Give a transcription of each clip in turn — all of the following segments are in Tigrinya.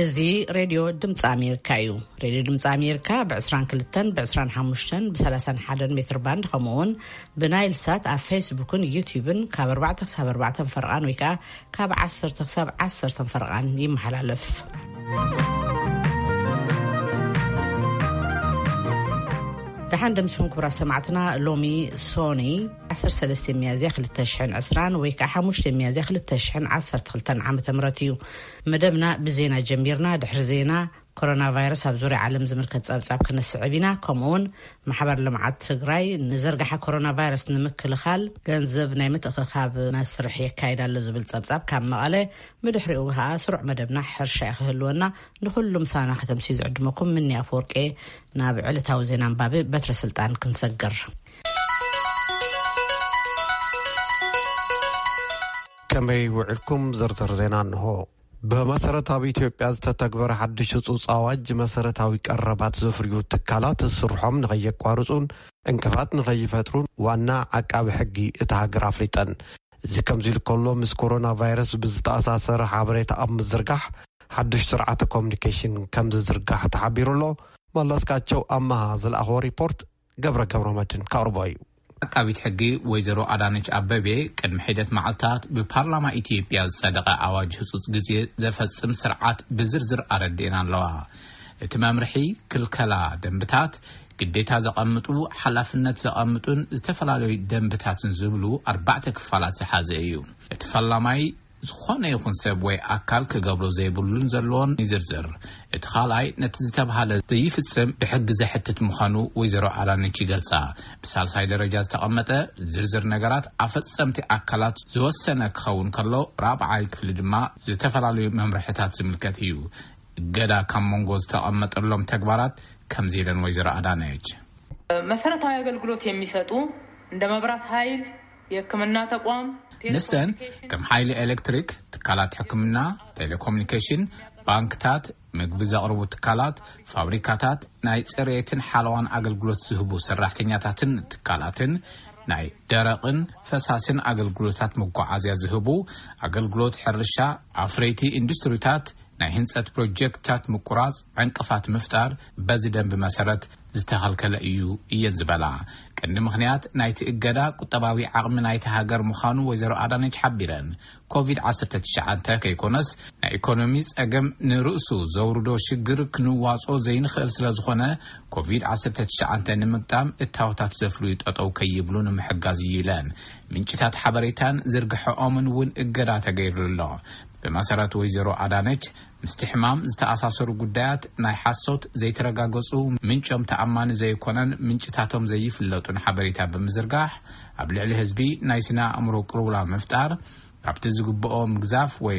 እዚ ሬድዮ ድምፂ ኣሜሪካ እዩ። ሬድዮ ድምፂ ኣሜሪካ ብ22፣ ብ25፣ ብ31 ሜትር ባንድ፣ ከምኡ እውን ብናይል ሳት ኣብ ፌስቡክን ዩቲዩብን ካብ ኣርባዕተ ክሳብ ኣርባዕተ ፈርቓን ወይ ከዓ ካብ ዓሰርተ ክሳብ ዓሰርተ ፈርቓን ይመሓላለፍ። ደሓን ደምስኹም ክቡራት ሰማዕትና። ሎሚ ሶኒ ዓሰርተ ሰለስተ ሚያዝያ ክልተ ሽሕን ዕስራን ወይ ከዓ ሓሙሽተ ሚያዝያ ክልተ ሽሕን ዓሰርተ ክልተን ዓመተ ምህረት እዩ። መደብና ብዜና ጀሚርና። ድሕሪ ዜና፣ ኮሮና ቫይረስ ኣብ ዙርያ ዓለም ዝምልከት ጸብጻብ ክነስዕብ ኢና። ከምኡ እውን ማሕበር ልምዓት ትግራይ ንዘርጋሓ ኮሮና ቫይረስ ንምክልኻል ገንዘብ ናይ ምትእኽኻብ መስርሕ የካይድ ኣሎ ዝብል ጸብጻብ ካብ መቐለ፣ ብድሕሪኡ ከዓ ስሩዕ መደብና ሕርሻ እዩ ክህልወና። ንኹሉ ምሳና ከተምስዩ ዝዕድመኩም ምኒ ኣፈወርቄ። ናብ ዕለታዊ ዜና ኣንባቢ በትረ ስልጣን ክንሰግር። ከመይ ውዕልኩም? ዝርዝር ዜና እንሆ። ብመሰረት ኣብ ኢትዮጵያ ዝተተግበረ ሓድሽ ህጹጽ ኣዋጅ፣ መሰረታዊ ቀረባት ዘፍርዩ ትካላት ስርሖም ንኸየቋርጹን ዕንቅፋት ንኸይፈጥሩን ዋና ዓቃቢ ሕጊ እታ ሃገር ኣፍሊጠን። እዚ ከምዚ ኢሉ ከሎ፣ ምስ ኮሮና ቫይረስ ብዝተኣሳሰረ ሓበሬታ ኣብ ምዝርጋሕ ሓድሽ ስርዓተ ኮሙኒኬሽን ከም ዝዝርጋሕ ተሓቢሩ ኣሎ። መለስካቸው ኣመሃ ዝለኣኽዎ ሪፖርት ገብረ ገብረ መድን ከቕርቦ እዩ። ዓቃቢት ሕጊ ወይዘሮ ኣዳነች ኣበቤ ቅድሚ ሒደት መዓልታት ብፓርላማ ኢትዮጵያ ዝጸደቐ ኣዋጅ ህጹጽ ግዜ ዘፈጽም ስርዓት ብዝርዝር ኣረዲኤን ኣለዋ። እቲ መምርሒ ክልከላ ደንብታት፣ ግዴታ ዘቐምጡ፣ ሓላፍነት ዘቐምጡን ዝተፈላለዩ ደንብታትን ዝብሉ ኣርባዕተ ክፋላት ዝሓዘ እዩ። እቲ ፈላማይ ዝኾነ ይኹን ሰብ ወይ ኣካል ክገብሮ ዘይብሉን ዘለዎን ይዝርዝር። እቲ ካልኣይ ነቲ ዝተብሃለ ዘይፍጽም ብሕጊ ዘሕትት ምዃኑ ወይዘሮ ኣዳነች ይገልጻ። ብሳልሳይ ደረጃ ዝተቐመጠ ዝርዝር ነገራት ኣፈጸምቲ ኣካላት ዝወሰነ ክኸውን ከሎ፣ ራብዓይ ክፍሊ ድማ ዝተፈላለዩ መምርሕታት ዝምልከት እዩ። እገዳ ካብ መንጎ ዝተቐመጠሎም ተግባራት ከምዚ ኢለን ወይዘሮ ኣዳነች። መሰረታዊ ኣገልግሎት የሚሰጡ እንደ መብራት ኃይል፣ የሕክምና ተቋም፣ ንሰን ከም ሓይሊ ኤሌክትሪክ፣ ትካላት ሕክምና፣ ቴሌኮሙኒኬሽን፣ ባንክታት፣ ምግቢ ዘቕርቡ ትካላት፣ ፋብሪካታት፣ ናይ ጽሬትን ሓለዋን ኣገልግሎት ዝህቡ ሰራሕተኛታትን ትካላትን፣ ናይ ደረቕን ፈሳስን ኣገልግሎታት መጓዓዝያ ዝህቡ፣ ኣገልግሎት ሕርሻ፣ ኣፍረይቲ ኢንዱስትሪታት፣ ናይ ህንጸት ፕሮጀክትታት ምቁራጽ፣ ዕንቅፋት ምፍጣር በዚ ደንቢ መሰረት ዝተኸልከለ እዩ እየን ዝበላ። ቀንዲ ምኽንያት ናይቲ እገዳ ቁጠባዊ ዓቕሚ ናይቲ ሃገር ምዃኑ ወይዘሮ ኣዳነች ሓቢረን። ኮቪድ ዓሰርተ ትሽዓተ ከይኮነስ ናይ ኢኮኖሚ ጸገም ንርእሱ ዘውርዶ ሽግር ክንዋጾ ዘይንኽእል ስለ ዝኾነ፣ ኮቪድ ዓሰርተ ትሽዓተ ንምግጣም እታወታት ዘፍርዩ ጠጠው ከይብሉ ንምሕጋዝ እዩ ኢለን። ምንጭታት ሓበሬታን ዝርግሐኦምን እውን እገዳ ተገይሩሉ ኣሎ። ብመሰረት ወይዘሮ ኣዳነች፣ ምስቲ ሕማም ዝተኣሳሰሩ ጉዳያት፣ ናይ ሓሶት፣ ዘይተረጋገጹ፣ ምንጮም ተኣማኒ ዘይኮነን ምንጭታቶም ዘይፍለጡን ሓበሬታ ብምዝርጋሕ፣ ኣብ ልዕሊ ህዝቢ ናይ ስነ ኣእምሮ ቅልውላ ምፍጣር፣ ካብቲ ዝግብኦ ምግዛፍ ወይ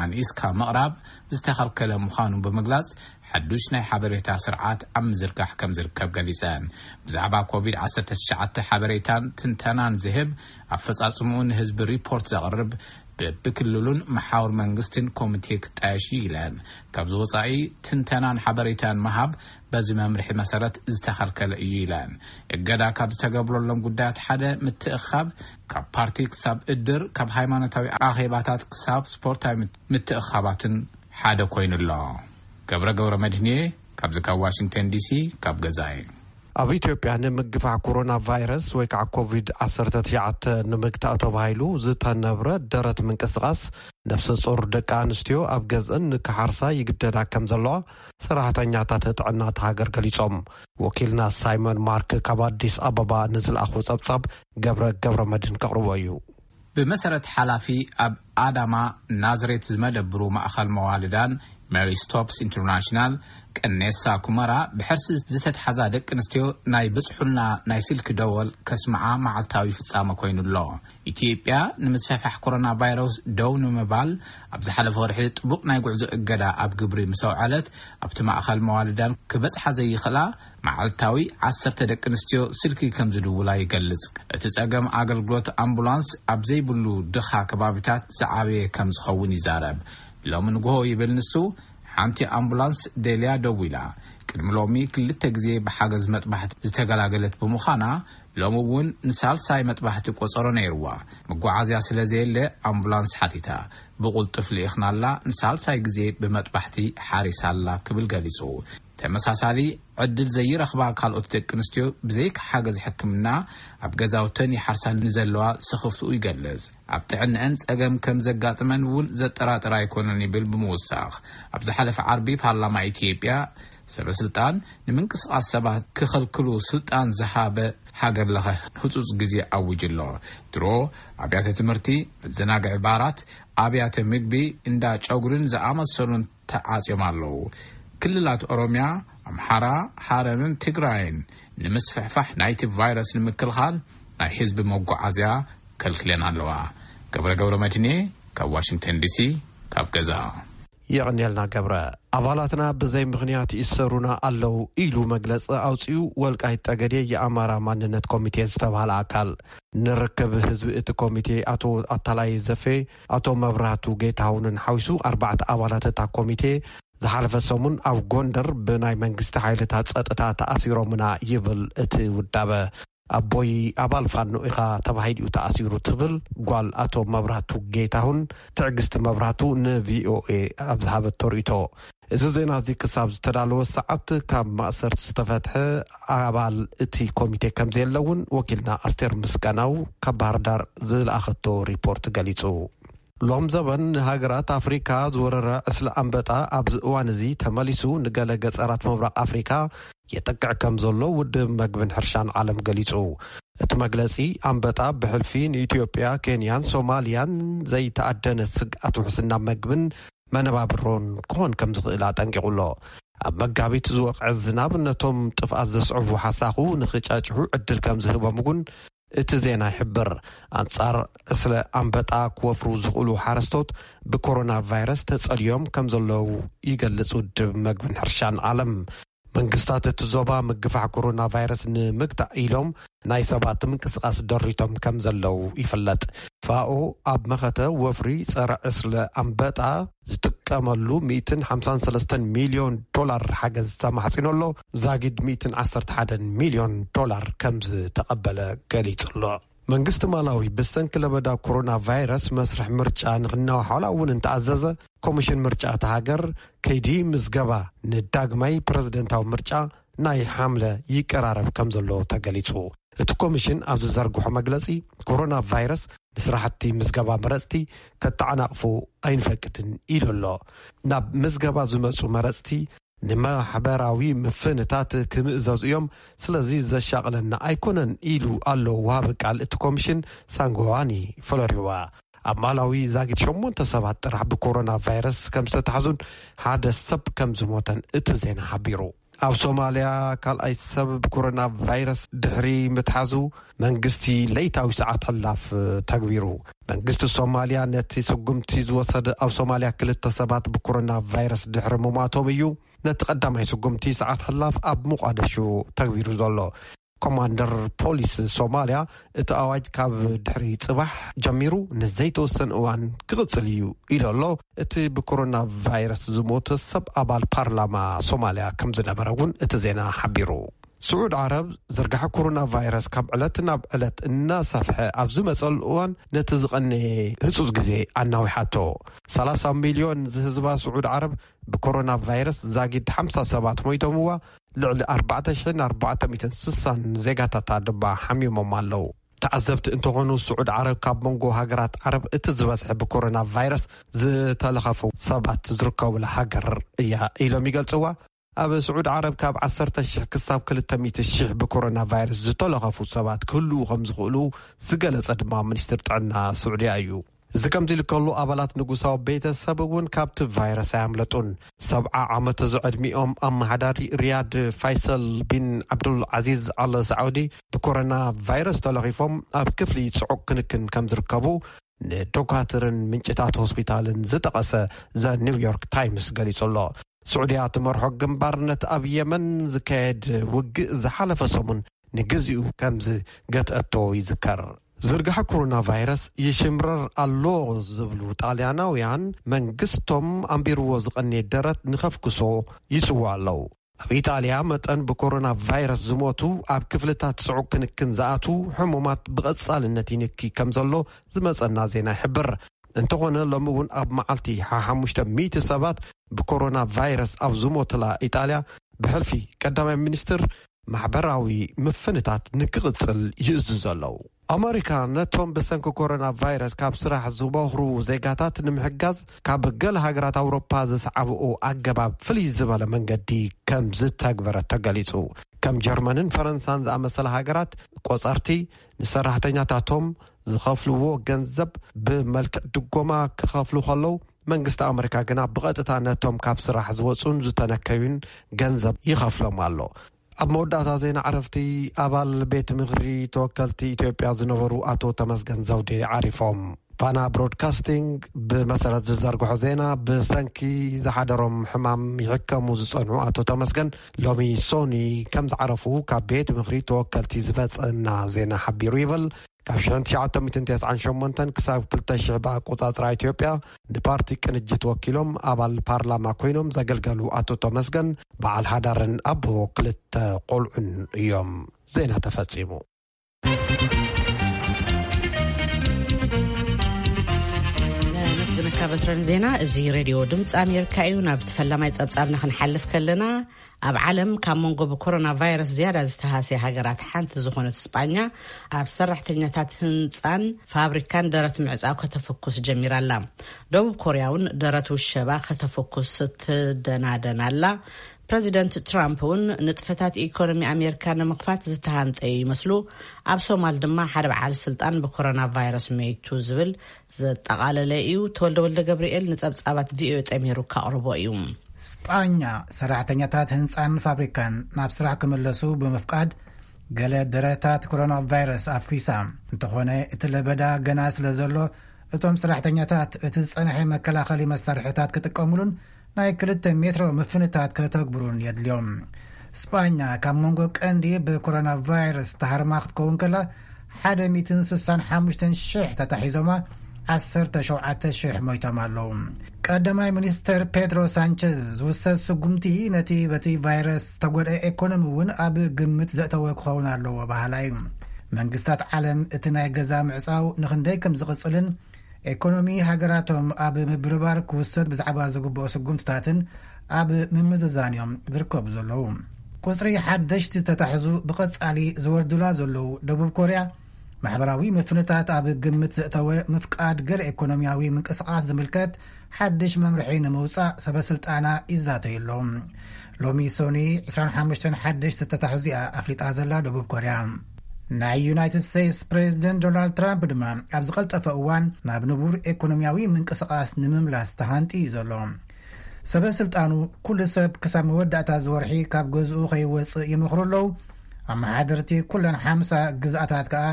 ኣንኢስካ ምቕራብ ዝተኸልከለ ምዃኑ ብምግላጽ፣ ሓዱሽ ናይ ሓበሬታ ስርዓት ኣብ ምዝርጋሕ ከም ዝርከብ ገሊጸን። ብዛዕባ ኮቪድ ዓሰርተ ትሽዓተ ሓበሬታን ትንተናን ዝህብ፣ ኣፈጻጽምኡ ንህዝቢ ሪፖርት ዘቕርብ፣ በብክልሉን መሓውር መንግስትን ኮሚቴ ክጣየሽ እዩ ኢለን። ካብዚ ወጻኢ ትንተናን ሓበሬታን ምሃብ በዚ መምርሒ መሰረት ዝተኸልከለ እዩ ኢለን። እገዳ ካብ ዝተገብረሎም ጉዳያት ሓደ፣ ምትእኻብ፣ ካብ ፓርቲ ክሳብ እድር፣ ካብ ሃይማኖታዊ ኣኼባታት ክሳብ ስፖርታዊ ምት-፣ ምትእኻባትን ሓደ ኮይኑ ኣሎ። ገብረ ገብረ መድህንየ ካብዚ ካብ ዋሽንግተን ዲሲ ካብ ገዛይ። ኣብ ኢትዮጵያ ንምግፋሕ ኮሮና ቫይረስ ወይ ከዓ ኮቪድ ዓሰርተ ትሽዓተ ንምግታእ ተባሂሉ ዝተነብረ ደረት ምንቅስቓስ፣ ነፍሰ ጾር ደቂ ኣንስትዮ ኣብ ገዝአን ንክሓርሳ ይግደዳ ከም ዘለዋ ሰራሕተኛታት ጥዕና እታ ሃገር ገሊጾም። ወኪልና ሳይመን ማርክ ካብ ኣዲስ ኣበባ ንዝለኣኹ ጸብጻብ ገብረ ገብረ መድን ከቕርቦ እዩ። ብመሰረት ሓላፊ ኣብ ኣዳማ ናዝሬት ዝመደብሩ ማእኸል መዋልዳን ሜሪ ስቶፕስ ኢንተርናሽናል ቀኔሳ ኩመራ፣ ብሕርሲ ዝተትሓዛ ደቂ ኣንስትዮ ናይ ብጽሑልና ናይ ስልኪ ደወል ከስምዓ መዓልታዊ ፍጻመ ኮይኑ ኣሎ። ኢትዮጵያ ንምስፍሕፋሕ ኮሮና ቫይረስ ደው ንምባል ኣብ ዝሓለፈ ወርሒ ጥቡቕ ናይ ጉዕዞ እገዳ ኣብ ግብሪ ምስ ኣውዓለት፣ ኣብቲ ማእኸል መዋልዳን ክበጽሓ ዘይኽእላ መዓልታዊ ዓሰርተ ደቂ ኣንስትዮ ስልኪ ከም ዝድውላ ይገልጽ። እቲ ጸገም ኣገልግሎት ኣምቡላንስ ኣብ ዘይብሉ ድኻ ከባቢታት ዝዓበየ ከም ዝኸውን ይዛረብ። ሎሚ ንግሆ ይብል ንሱ፣ ሓንቲ ኣምቡላንስ ደልያ ደዊላ፣ ቅድሚ ሎሚ ክልተ ግዜ ብሓገዝ መጥባሕቲ ዝተገላገለት ብምዃና፣ ሎሚ እውን ንሳልሳይ መጥባሕቲ ቆጸሮ ነይርዋ። መጓዓዝያ ስለ ዘየለ ኣምቡላንስ ሓቲታ። ብቕልጡፍ ልኢኽናላ፣ ንሳልሳይ ግዜ ብመጥባሕቲ ሓሪሳላ ክብል ገሊጹ። ተመሳሳሊ ዕድል ዘይረኽባ ካልኦት ደቂ ኣንስትዮ ብዘይካ ሓገዝ ሕክምና ኣብ ገዛውተን ይሓርሳ ንዘለዋ ስኽፍትኡ ይገልጽ። ኣብ ጥዕንአን ጸገም ከም ዘጋጥመን እውን ዘጠራጥር ኣይኮነን ይብል ብምውሳኽ። ኣብ ዝሓለፈ ዓርቢ ፓርላማ ኢትዮጵያ ሰበ ስልጣን ንምንቅስቓስ ሰባት ክኸልክሉ ስልጣን ዝሃበ ሃገር ለኸ ህጹጽ ግዜ ኣውጅ ኣሎ። ድሮ ኣብያተ ትምህርቲ፣ መዘናግዒ ባራት፣ ኣብያተ ምግቢ፣ እንዳ ጨጉርን ዝኣመሰሉን ተዓጽዮም ኣለዉ። ክልላት ኦሮሚያ፣ ኣምሓራ፣ ሃረርን ትግራይን ንምስፍሕፋሕ ናይቲ ቫይረስ ንምክልኻል ናይ ህዝቢ መጓዓዝያ ከልክለን ኣለዋ። ገብረ ገብረ መድህኔ ካብ ዋሽንግተን ዲሲ ካብ ገዛ። የቐንየልና ገብረ። ኣባላትና ብዘይ ምኽንያት ይእሰሩና ኣለዉ ኢሉ መግለጺ ኣውጺኡ ወልቃይት ጠገዴ የኣማራ ማንነት ኮሚቴ ዝተባህለ ኣካል። ንርክብ ህዝቢ እቲ ኮሚቴ ኣቶ ኣታላይ ዘፌ፣ ኣቶ መብራህቱ ጌታሁንን ሓዊሱ ኣርባዕተ ኣባላት እታ ኮሚቴ ዝሓለፈ ሰሙን ኣብ ጎንደር ብናይ መንግስቲ ሓይልታት ጸጥታ ተኣሲሮምና ይብል እቲ ውዳበ። ኣቦይ ኣባል ፋኖ ኢኻ ተባሂሉ እዩ ተኣሲሩ ትብል ጓል ኣቶ መብራህቱ ጌታሁን ትዕግስቲ መብራህቱ ንቪኦኤ ኣብ ዝሃበቶ ርእይቶ። እዚ ዜና እዚ ክሳብ ዝተዳለወ ሰዓት ካብ ማእሰርቲ ዝተፈትሐ ኣባል እቲ ኮሚቴ ከም ዘየለ እውን ወኪልና ኣስቴር ምስጋናው ካብ ባህር ዳር ዝለኣኸቶ ሪፖርት ገሊጹ። ሎም ዘበን ንሃገራት ኣፍሪካ ዝወረረ ዕስለ ኣንበጣ ኣብዚ እዋን እዚ ተመሊሱ ንገለ ገጸራት ምብራቕ ኣፍሪካ የጠቅዕ ከም ዘሎ ውድብ መግብን ሕርሻን ዓለም ገሊጹ። እቲ መግለጺ ኣንበጣ ብሕልፊ ንኢትዮጵያ፣ ኬንያን ሶማልያን ዘይተኣደነ ስግኣት ውሕስና መግብን መነባብሮን ክኾን ከም ዝኽእል ኣጠንቂቑ ኣሎ። ኣብ መጋቢት ዝወቕዐ ዝናብ ነቶም ጥፍኣት ዘስዕቡ ሓሳኹ ንኽጫጭሑ ዕድል ከም ዝህቦም እውን እቲ ዜና ይሕብር። ኣንጻር ዕስለ ኣንበጣ ክወፍሩ ዝኽእሉ ሓረስቶት ብኮሮና ቫይረስ ተጸልዮም ከም ዘለዉ ይገልጽ ውድብ መግብን ሕርሻን ዓለም። መንግስታት እቲ ዞባ ምግፋሕ ኮሮና ቫይረስ ንምግታእ ኢሎም ናይ ሰባት ምንቅስቓስ ደሪቶም ከም ዘለዉ ይፍለጥ። ፋኦ ኣብ መኸተ ወፍሪ ጸረ ዕስለ ኣንበጣ ዝጥቀመሉ ሚእትን ሓምሳን ሰለስተን ሚልዮን ዶላር ሓገዝ ተማሕጺኑ ኣሎ። ዛጊድ ሚእትን ዓሰርተ ሓደን ሚልዮን ዶላር ከም ዝተቐበለ ገሊጹ ኣሎ። መንግስቲ ማላዊ ብሰንኪ ለበዳ ኮሮና ቫይረስ መስርሕ ምርጫ ንኽናዋሓላ እውን እንተኣዘዘ፣ ኮሚሽን ምርጫ እታ ሃገር ከይዲ ምዝገባ ንዳግማይ ፕረዚደንታዊ ምርጫ ናይ ሓምለ ይቀራረብ ከም ዘሎ ተገሊጹ። እቲ ኮሚሽን ኣብ ዝዘርግሖ መግለጺ፣ ኮሮና ቫይረስ ንስራሕቲ ምዝገባ መረጽቲ ከተዓናቕፉ ኣይንፈቅድን ኢሉ ኣሎ። ናብ ምዝገባ ዝመጹ መረጽቲ ንማሕበራዊ ምፍንታት ክምእዘዙ እዮም፣ ስለዚ ዘሻቕለና ኣይኮነን ኢሉ ኣሎ ወሃቢ ቃል እቲ ኮሚሽን ሳንጎዋኒ ፍሎሪዋ። ኣብ ማላዊ ዛጊድ ሸሞንተ ሰባት ጥራሕ ብኮሮና ቫይረስ ከም ዝተታሕዙን ሓደ ሰብ ከም ዝሞተን እቲ ዜና ሓቢሩ። ኣብ ሶማልያ ካልኣይ ሰብ ብኮሮና ቫይረስ ድሕሪ ምትሓዙ መንግስቲ ለይታዊ ሰዓት ሕላፍ ተግቢሩ። መንግስቲ ሶማልያ ነቲ ስጉምቲ ዝወሰደ ኣብ ሶማልያ ክልተ ሰባት ብኮሮና ቫይረስ ድሕሪ ምሟቶም እዩ። ነቲ ቀዳማይ ስጉምቲ ሰዓት ሕላፍ ኣብ ሞቃደሾ ተግቢሩ ዘሎ። ኮማንደር ፖሊስ ሶማልያ እቲ ኣዋጅ ካብ ድሕሪ ጽባሕ ጀሚሩ ንዘይተወሰነ እዋን ክቕጽል እዩ ኢሉ ኣሎ። እቲ ብኮሮና ቫይረስ ዝሞተ ሰብ ኣባል ፓርላማ ሶማልያ ከም ዝነበረ እውን እቲ ዜና ሓቢሩ። ስዑድ ዓረብ ዝርጋሐ ኮሮና ቫይረስ ካብ ዕለት ናብ ዕለት እናሰፍሐ ኣብ ዝመጸሉ እዋን ነቲ ዝቐነየ ህጹጽ ግዜ ኣናዊሓቶ። ሰላሳ ሚልዮን ዝህዝባ ስዑድ ዓረብ ብኮሮና ቫይረስ ዛጊድ ሓምሳ ሰባት ሞይቶምዋ፣ ልዕሊ ኣርባዕተ ሽሕን ኣርባዕተ ሚእትን ስሳን ዜጋታታ ድማ ሓሚሞም ኣለዉ። ተዓዘብቲ እንተኾኑ፣ ስዑድ ዓረብ ካብ መንጎ ሃገራት ዓረብ እቲ ዝበዝሐ ብኮሮና ቫይረስ ዝተለኸፉ ሰባት ዝርከቡላ ሃገር እያ ኢሎም ይገልጽዋ። ኣብ ስዑድ ዓረብ ካብ ዓሰርተ ሽሕ ክሳብ ክልተ ሚእቲ ሽሕ ብኮሮና ቫይረስ ዝተለኸፉ ሰባት ክህልዉ ከም ዝኽእሉ ዝገለጸ ድማ ሚኒስትር ጥዕና ስዑድያ እዩ። እዚ ከምዚ ኢሉ ከሎ፣ ኣባላት ንጉሳዊ ቤተሰብ እውን ካብቲ ቫይረስ ኣያምለጡን። ሰብዓ ዓመት ዝዕድሚኦም ኣመሓዳሪ ሪያድ ፋይሰል ቢን ዓብዱል ዓዚዝ ኣል ሳዑዲ ብኮሮና ቫይረስ ተለኺፎም ኣብ ክፍሊ ጽዑቕ ክንክን ከም ዝርከቡ ንዶካትርን ምንጭታት ሆስፒታልን ዝጠቐሰ ዘ ኒውዮርክ ታይምስ ገሊጹ ኣሎ። ስዑድያ ትመርሖ ግንባር ነቲ ኣብ የመን ዝካየድ ውግእ ዝሓለፈ ሰሙን ንግዚኡ ከም ዝገትአቶ ይዝከር። ዝርግሐ ኮሮና ቫይረስ ይሽምረር ኣሎ ዝብሉ ጣልያናውያን፣ መንግስቶም ኣንቢርዎ ዝቐነየ ደረት ንኸፍክሶ ይጽውዑ ኣለዉ። ኣብ ኢጣልያ መጠን ብኮሮና ቫይረስ ዝሞቱ ኣብ ክፍልታት ጽዑቕ ክንክን ዝኣትዉ ሕሙማት ብቐጻልነት ይንኪ ከም ዘሎ ዝመጸና ዜና ይሕብር። እንተኾነ ሎሚ እውን ኣብ መዓልቲ ሓሙሽተ ሚእቲ ሰባት ብኮሮና ቫይረስ ኣብ ዝሞትላ ኢጣልያ ብሕልፊ ቀዳማይ ሚኒስትር ማሕበራዊ ምፍንታት ንክቕጽል ይእዝዙ ኣለዉ። ኣመሪካ ነቶም ብሰንኪ ኮሮና ቫይረስ ካብ ስራሕ ዝበኽሩ ዜጋታት ንምሕጋዝ ካብ ገለ ሃገራት ኣውሮፓ ዝሰዓብኡ ኣገባብ ፍልይ ዝበለ መንገዲ ከም ዝተግበረ ተገሊጹ። ከም ጀርመንን ፈረንሳን ዝኣመሰላ ሃገራት ቆጸርቲ ንሰራሕተኛታቶም ዝኸፍልዎ ገንዘብ ብመልክዕ ድጎማ ክኸፍሉ ከለዉ መንግስቲ ኣመሪካ ግና ብቐጥታ ነቶም ካብ ስራሕ ዝወጹን ዝተነከዩን ገንዘብ ይኸፍሎም ኣሎ። ኣብ መወዳእታ ዜና ዕረፍቲ ኣባል ቤት ምኽሪ ተወከልቲ ኢትዮጵያ ዝነበሩ ኣቶ ተመስገን ዘውዴ ዓሪፎም። ፋና ብሮድካስቲንግ ብመሰረት ዝዘርግሖ ዜና ብሰንኪ ዝሓደሮም ሕማም ይሕከሙ ዝጸንሑ ኣቶ ተመስገን ሎሚ ሶኒ ከም ዝዓረፉ ካብ ቤት ምኽሪ ተወከልቲ ዝመጸና ዜና ሓቢሩ ይብል። ካብ ሽሕን ትሽዓተ ሚእትን ተስዓን ሸሞንተን ክሳብ ክልተ ሽሕ ብኣቆጻጽራ ኢትዮጵያ ንፓርቲ ቅንጅት ወኪሎም ኣባል ፓርላማ ኮይኖም ዘገልገሉ ኣቶ ተመስገን በዓል ሓዳርን ኣቦ ክልተ ቆልዑን እዮም። ዜና ተፈጺሙ። ነመስግነካ በትረን ዜና። እዚ ሬድዮ ድምፂ ኣሜሪካ እዩ። ናብ ተፈላማይ ጸብጻብና ክንሓልፍ ከለና፣ ኣብ ዓለም ካብ መንጎ ብኮሮና ቫይረስ ዝያዳ ዝተሃስያ ሃገራት ሓንቲ ዝኾነት ስጳኛ ኣብ ሰራሕተኛታት ህንፃን ፋብሪካን ደረት ምዕፃው ከተፈኩስ ጀሚራ ኣላ። ደቡብ ኮርያ እውን ደረት ውሸባ ከተፈኩስ ትደናደን ኣላ። ፕረዚደንት ትራምፕ እውን ንጥፈታት ኢኮኖሚ ኣሜሪካ ንምኽፋት ዝተሃንጠዩ ይመስሉ። ኣብ ሶማል ድማ ሓደ በዓል ስልጣን ብኮሮና ቫይረስ መይቱ ዝብል ዘጠቓለለ እዩ። ተወልደ ወልደ ገብርኤል ንጸብጻባት ቪኦኤ ጠሚሩ ከቕርቦ እዩ። ስጳኛ ሰራሕተኛታት ህንፃን ፋብሪካን ናብ ስራሕ ክምለሱ ብምፍቃድ ገለ ደረታት ኮሮና ቫይረስ ኣፍኪሳ። እንተኾነ እቲ ለበዳ ገና ስለ ዘሎ እቶም ሰራሕተኛታት እቲ ዝጸንሐ መከላኸሊ መሳርሕታት ክጥቀሙሉን ናይ ክልተ ሜትሮ ምፍንታት ከተግብሩን የድልዮም። ስጳኛ ካብ መንጎ ቀንዲ ብኮሮና ቫይረስ ተሃርማ ክትከውን ከላ ሓደ ሚእትን ስሳን ሓሙሽተን ሽሕ ተታሒዞማ ዓሰርተ ሸውዓተ ሽሕ ሞይቶም ኣለዉ። ቀዳማይ ሚኒስተር ፔድሮ ሳንቸዝ ዝውሰድ ስጉምቲ ነቲ በቲ ቫይረስ ዝተጎድአ ኤኮኖሚ እውን ኣብ ግምት ዘእተወ ክኸውን ኣለዎ በሃላ እዩ። መንግስታት ዓለም እቲ ናይ ገዛ ምዕጻው ንኽንደይ ከም ዝቕጽልን ኤኮኖሚ ሃገራቶም ኣብ ምብርባር ክውሰድ ብዛዕባ ዝግብኦ ስጉምትታትን ኣብ ምምዝዛን እዮም ዝርከቡ ዘለዉ። ቁጽሪ ሓደሽቲ ዝተታሕዙ ብቐጻሊ ዝወርዱላ ዘለዉ ደቡብ ኮርያ፣ ማሕበራዊ ምፍንታት ኣብ ግምት ዘእተወ ምፍቃድ ገለ ኤኮኖሚያዊ ምንቅስቓስ ዝምልከት ሓድሽ መምርሒ ንምውጻእ ሰበ ስልጣና ይዛተዩ ኣለዉ። ሎሚ ሶኒ ዕስራን ሓሙሽተን ሓደሽቲ ዝተታሕዙ እያ ኣፍሊጣ ዘላ ደቡብ ኮርያ። ናይ ዩናይትድ ስቴትስ ፕሬዚደንት ዶናልድ ትራምፕ ድማ ኣብ ዝቐልጠፈ እዋን ናብ ንቡር ኤኮኖሚያዊ ምንቅስቓስ ንምምላስ ተሃንጢ እዩ ዘሎ። ሰበ ስልጣኑ ኩሉ ሰብ ክሳብ መወዳእታ ዝወርሒ ካብ ገዝኡ ከይወፅእ ይመኽሩ ኣለዉ። ኣመሓደርቲ ኩለን ሓምሳ ግዝኣታት ከኣ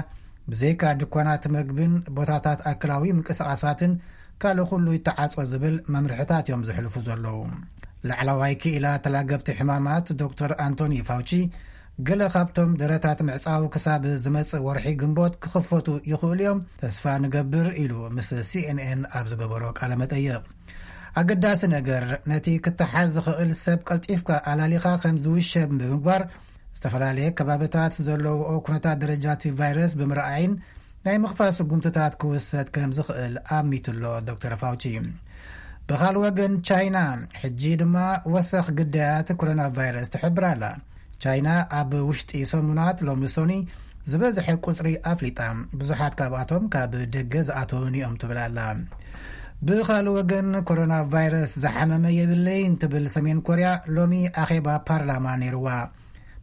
ብዘይካ ድኳናት መግብን ቦታታት ኣክላዊ ምንቅስቓሳትን ካልእ ኩሉ ይተዓጾ ዝብል መምርሕታት እዮም ዘሕልፉ ዘለዉ። ላዕለዋይ ክኢላ ተላገብቲ ሕማማት ዶክተር ኣንቶኒ ፋውቺ፣ ገለ ካብቶም ደረታት ምዕጻው ክሳብ ዝመጽእ ወርሒ ግንቦት ክኽፈቱ ይኽእሉ እዮም ተስፋ ንገብር ኢሉ ምስ ሲኤንኤን ኣብ ዝገበሮ ቃለ መጠይቕ። ኣገዳሲ ነገር ነቲ ክተሓዝ ዝኽእል ሰብ ቀልጢፍካ ኣላሊኻ ከም ዝውሸብ ብምግባር፣ ዝተፈላለየ ከባብታት ዘለውኦ ኩነታት ደረጃ እቲ ቫይረስ ብምርኣይን ናይ ምኽፋት ስጉምትታት ክውሰድ ከም ዝኽእል ኣሚቱ ኣሎ ዶክተር ፋውቺ። ብኻልእ ወገን ቻይና ሕጂ ድማ ወሰኽ ግዳያት ኮሮና ቫይረስ ትሕብር ኣላ። ቻይና ኣብ ውሽጢ ሰሙናት ሎሚ ሶኒ ዝበዝሐ ቁጽሪ ኣፍሊጣ፣ ብዙሓት ካብኣቶም ካብ ደገ ዝኣተውን እዮም ትብል ኣላ። ብኻልእ ወገን ኮሮና ቫይረስ ዝሓመመ የብለይን ትብል ሰሜን ኮርያ ሎሚ ኣኼባ ፓርላማ ነይርዋ።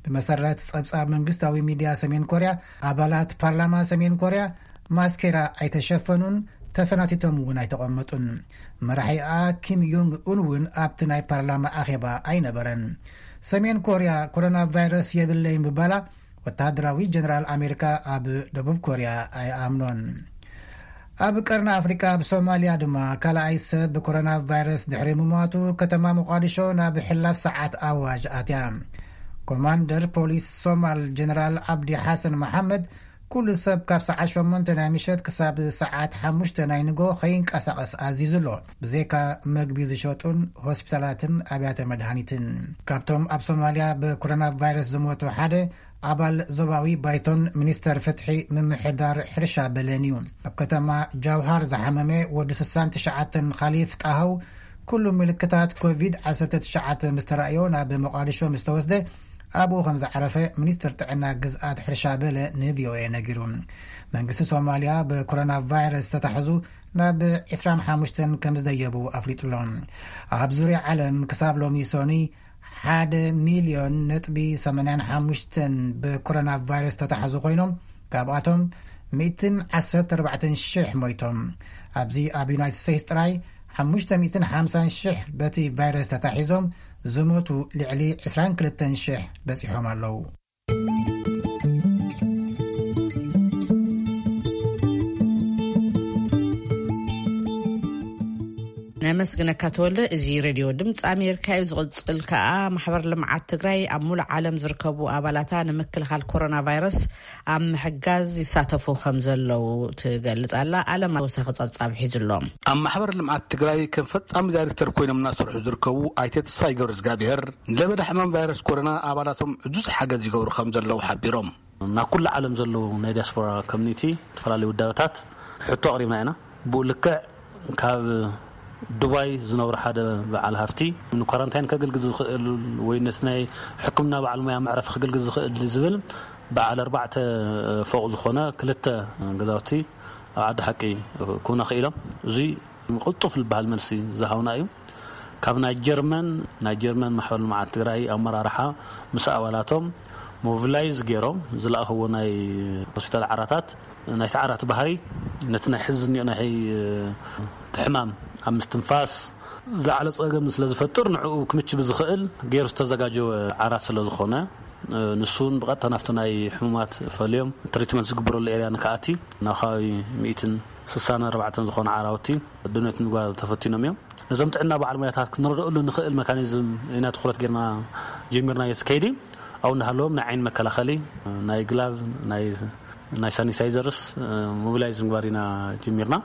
ብመሰረት ጸብጻብ መንግስታዊ ሚድያ ሰሜን ኮርያ፣ ኣባላት ፓርላማ ሰሜን ኮርያ ማስኬራ ኣይተሸፈኑን፣ ተፈናቲቶም እውን ኣይተቐመጡን። መራሒኣ ኪም ዮንግ ኡን እውን ኣብቲ ናይ ፓርላማ ኣኼባ ኣይነበረን። ሰሜን ኮርያ ኮሮና ቫይረስ የብለይ ምባላ ወተሃደራዊ ጀነራል ኣሜሪካ ኣብ ደቡብ ኮርያ ኣይኣምኖን። ኣብ ቀርኒ ኣፍሪካ ኣብ ሶማልያ ድማ ካልኣይ ሰብ ብኮሮና ቫይረስ ድሕሪ ምሟቱ ከተማ ሞቃዲሾ ናብ ሕላፍ ሰዓት ኣዋጅ ኣትያ። ኮማንደር ፖሊስ ሶማል ጀነራል ዓብዲ ሓሰን መሓመድ ኩሉ ሰብ ካብ ሰዓት ሸሞንተ ናይ ምሸት ክሳብ ሰዓት ሓሙሽተ ናይ ንጎ ከይንቀሳቐስ ኣዚዙ ኣሎ። ብዘይካ መግቢ ዝሸጡን ሆስፒታላትን ኣብያተ መድሃኒትን። ካብቶም ኣብ ሶማልያ ብኮሮና ቫይረስ ዝሞቱ ሓደ ኣባል ዞባዊ ባይቶን ሚኒስተር ፍትሒ ምምሕዳር ሕርሻ በለን እዩ። ኣብ ከተማ ጃውሃር ዝሓመመ ወዲ ስሳን ትሽዓተን ኻሊፍ ጣሃው ኩሉ ምልክታት ኮቪድ ዓሰርተ ትሽዓተ ምስ ተራእዮ ናብ መቃዲሾ ምስ ተወስደ ኣብኡ ከም ዝዓረፈ ሚኒስተር ጥዕና ግዝኣት ሕርሻ በለ ንቪኦኤ ነጊሩ። መንግስቲ ሶማልያ ብኮሮና ቫይረስ ዝተታሕዙ ናብ ዕስራን ሓሙሽተን ከም ዝደየቡ ኣፍሊጡ ኣሎ። ኣብ ዙርያ ዓለም ክሳብ ሎሚ ሶኒ ሓደ ሚልዮን ነጥቢ ሰማንያን ሓሙሽተን ብኮሮና ቫይረስ ዝተታሕዙ ኮይኖም ካብኣቶም ሚእትን ዓሰርተ ኣርባዕተን ሽሕ ሞይቶም። ኣብዚ ኣብ ዩናይትድ ስቴትስ ጥራይ ሓሙሽተ ሚእትን ሓምሳን ሽሕ በቲ ቫይረስ ተታሒዞም ዝሞቱ ልዕሊ ዕስራን ክልተን ሽሕ በጺሖም ኣለዉ። ነመስግነካ ተወልደ። እዚ ሬድዮ ድምፂ ኣሜሪካ እዩ። ዝቕፅል ከዓ ማሕበር ልምዓት ትግራይ ኣብ ሙሉእ ዓለም ዝርከቡ ኣባላታ ንምክልኻል ኮሮና ቫይረስ ኣብ ምሕጋዝ ይሳተፉ ከም ዘለዉ ትገልፅ ኣላ። ኣለም ተወሳኺ ፀብፃብ ሒዙ ኣሎ። ኣብ ማሕበር ልምዓት ትግራይ ከም ፈፃሚ ዳይሬክተር ኮይኖም እናሰርሑ ዝርከቡ ኣይተ ተስፋይ ገብረ እግዚኣብሔር ንለበዳ ሕማም ቫይረስ ኮሮና ኣባላቶም ዕዙዝ ሓገዝ ይገብሩ ከም ዘለዉ ሓቢሮም። ናብ ኩሉ ዓለም ዘለዉ ናይ ዲያስፖራ ኮሚኒቲ ዝተፈላለዩ ውዳበታት ሕቶ ኣቕሪብና ኢና። ብኡ ልክዕ ካብ ዱባይ ዝነብሩ ሓደ በዓል ሃፍቲ ንኳራንታይን ከገልግል ዝኽእል ወይ ነቲ ናይ ሕክምና በዓል ሞያ መዕረፊ ክገልግል ዝኽእል ዝብል በዓል ኣርባዕተ ፎቕ ዝኾነ ክልተ ገዛውቲ ኣብ ዓዲ ሓቂ ክውነ ክኢሎም። እዚ ቅልጡፍ ዝበሃል መልሲ ዝሃውና እዩ። ካብ ናይ ጀርመን ናይ ጀርመን ማሕበር ልምዓት ትግራይ ኣመራርሓ ምስ ኣባላቶም ሞቢላይዝ ገይሮም ዝለኣኽዎ ናይ ሆስፒታል ዓራታት፣ ናይቲ ዓራት ባህሪ ነቲ ናይ ሕዚ እኒኦ ናይ ሕይ- እቲ ሕማም ኣብ ምስትንፋስ ዝለዓለ ፀገም ስለ ዝፈጥር ንዕኡ ክምች ብዝኽእል ገይሩ ዝተዘጋጀወ ዓራት ስለ ዝኾነ፣ ንሱን ብቐጥታ ናብቲ ናይ ሕሙማት ፈልዮም ትሪትመንት ዝግበረሉ ኤርያ ንክኣቲ ናብ ከባቢ ሚእትን ስሳን ኣርባዕተን ዝኾነ ዓራውቲ ድነት ምግባር ተፈቲኖም እዮም። ነዞም ጥዕና በዓል ሞያታት ክንረድእሉ ንኽእል መካኒዝም ኢና ትኹረት ጌርና ጀሚርና። የስ ከይዲ ኣብኡ እንዳሃለዎም ናይ ዓይኒ መከላኸሊ፣ ናይ ግላቭ፣ ናይ ናይ ሳኒታይዘርስ ሞቢላይዝ ምግባር ኢና ጀሚርና።